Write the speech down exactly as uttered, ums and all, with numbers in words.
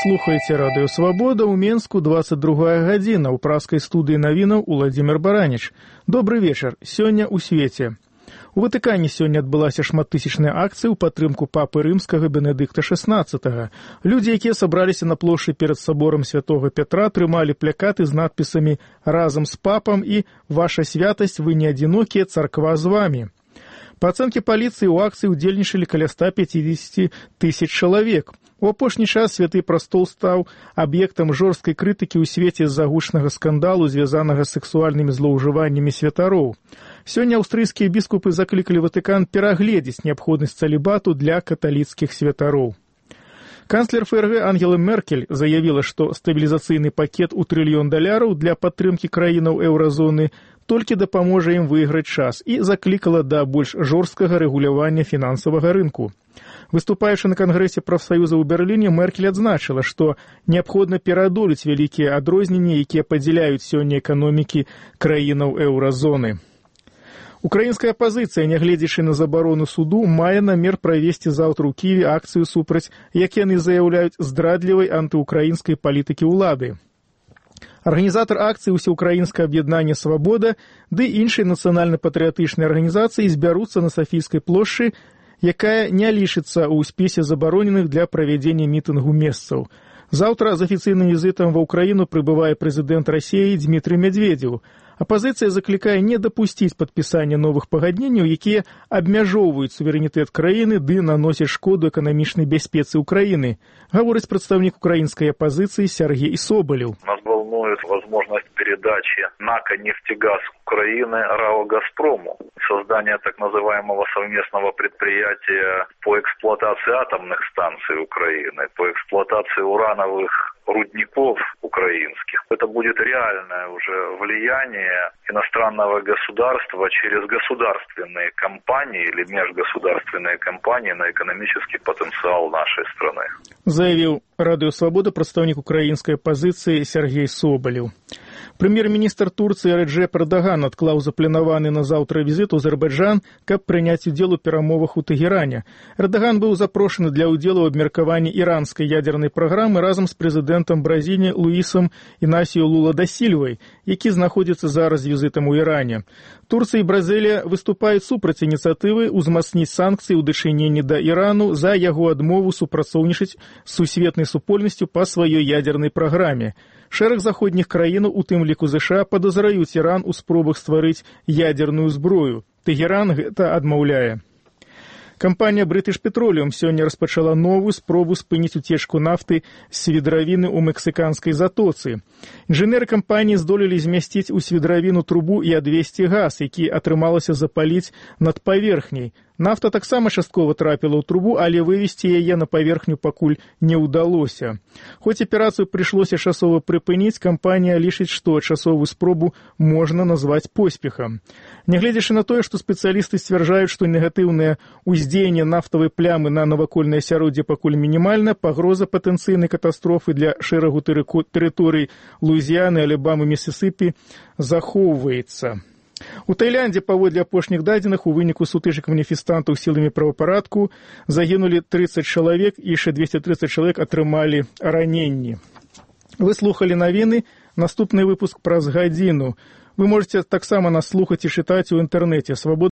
слухаеце радыё «Свабода», ў Менску двадцать другая гадзіна, у праскай студыі навінаў Уладзімір Бараніч. Добры вечар, сёння ў свеце. У Ватыкане сёння адбылася шматтысячная акцыя ў падтрымку папы рымскага Бенедыкта шэснаццатага. Людзі, якія сабраліся на плошчы перад саборам святога Пятра, трымалі плакаты з надпісамі «Разам з папам» і «Ваша святасць, вы не адзінокія, царква з вамі». Па ацэнке паліцыі, у акцыі ўдзельнічалі каля ста пяцідзесяці тысяч чалавек. У апошні час Святы прастол стаў аб'ектам жорсткай крытыкі ў свеце з-за гучнага скандалу, звязанага з сексуальнымі злоўжываннямі святароў. Сёння аўстрыйскія біскупы заклікалі Ватыкан перагледзець неабходнасць цалібату для каталіцкіх святароў. Канцлер ФРГ Ангела Меркель заявіла, што стабілізацыйны пакет у трыльён даляраў для падтрымкі краінаў еўразоны толькі дапаможа ім выйграць час і заклікала да больш жорсткага рэгулявання фінансавага рынку. Выступаючы на Кангрэсе прафсаюза ў Берліне, Меркель адзначыла, што неабходна пераадолець вялікія адрозненні, якія падзяляюць сёння эканомікі краінаў еўразоны. Украінская апазіцыя, нягледзячы на забарону суду, мае намер правесці заўтра ў Кіеве акцыю супраць, як яны заяўляюць, здрадлівай антыукраінскай палітыкі ўлады. Арганізатар акцыі «Усеукраінскае аб'яднанне Свабода» ды іншыя нацыянальна-патрыятычныя арганізацыі збяруцца на Сафійскай плошчы, якая не лічыцца ў спісе забароненых для правядзення мітынгу месцаў. Заўтра з афіцыйным візітам ва ўкраіну прыбывае прэзідэнт Расіі Дзмітрый Медведзеў. Апазіцыя заклікае не дапусціць падпісання новых пагадненняў, якія абмяжоўваюць суверэнітэт краіны ды наносяць шкоду эканамічнай бяспецы ўкраіны, гаворыць прадстаўнік украінскай апазіцыі Сергей Соболев. Нас волнует возможность передачи НАКа «Нефтегаз» Украины РАО «Газпрому», создание так называемого совместного предприятия по эксплуатации атомных станций Украины, по эксплуатации урановых рудников украинских. Это будет реальное уже влияние иностранного государства через государственные компании или межгосударственные компании на экономический потенциал нашей страны. Заявил Радыё Свабода прадстаўнік украінскай апазіцыі Сергей Соболев. Прэм'ер-міністр Турцыі Рэджэп Эрдаган адклаў запланаваны на заўтра візіт у Азербайджан, каб прыняць удзел у перамовах у Тэгеране. Эрдаган быў запрошаны для ўдзелу ў абмеркаванні іранскай ядзернай праграмы разам з прэзідэнтам Бразіліі Луісам Інасіо Лула да Сільвай, які знаходзіцца зараз з візітам у Іране. Турцыя і Бразілія выступаюць супраць ініцыятывы ўзмацніць санкцыі ў дачыненні да Ірану за яго адмову супрацоўнічаць з сусветнай супольнасцю па сваёй ядзернай праграме. Шэраг заходніх краінаў, у тым ліку ЗША, падазраюць Іран у спробах стварыць ядзерную зброю. Тэгеран гэта адмаўляе. Кампанія British Petroleum сёння распачала новую спробу спыніць уцечку нафты з свідравіны ў мексіканскай затоцы. Інжынеры кампаніі здолелі змясціць у свідравіну трубу і адвесці газ, які атрымалася запаліць над паверхняй. Нафта таксама часткова трапіла ў трубу, але вывесці яе на паверхню пакуль не ўдалося. Хоць аперацыю прыйшлося часова прыпыніць, кампанія лічыць, што часовую спробу можна назваць поспехам. Нягледзячы на тое, што спецыялісты сцвярджаюць, што негатыўнае ўздзеянне нафтавай плямы на навакольнае асяроддзе пакуль мінімальна, пагроза патэнцыйнай катастрофы для шэрагу тэрыторый Луізіяны, Алабамы, Місісіпі захоўваецца. У Таіландзе, паводле апошніх дадзеных, у выніку сутычак маніфестантаў сіламі правапарадку загінулі трыццаць чалавек і яшчэ дзвесце трыццаць чалавек атрымалі раненні. Вы слухалі навіны, наступны выпуск праз гадзіну. Вы можете таксама нас слухаць і чытаць у інтэрнэце.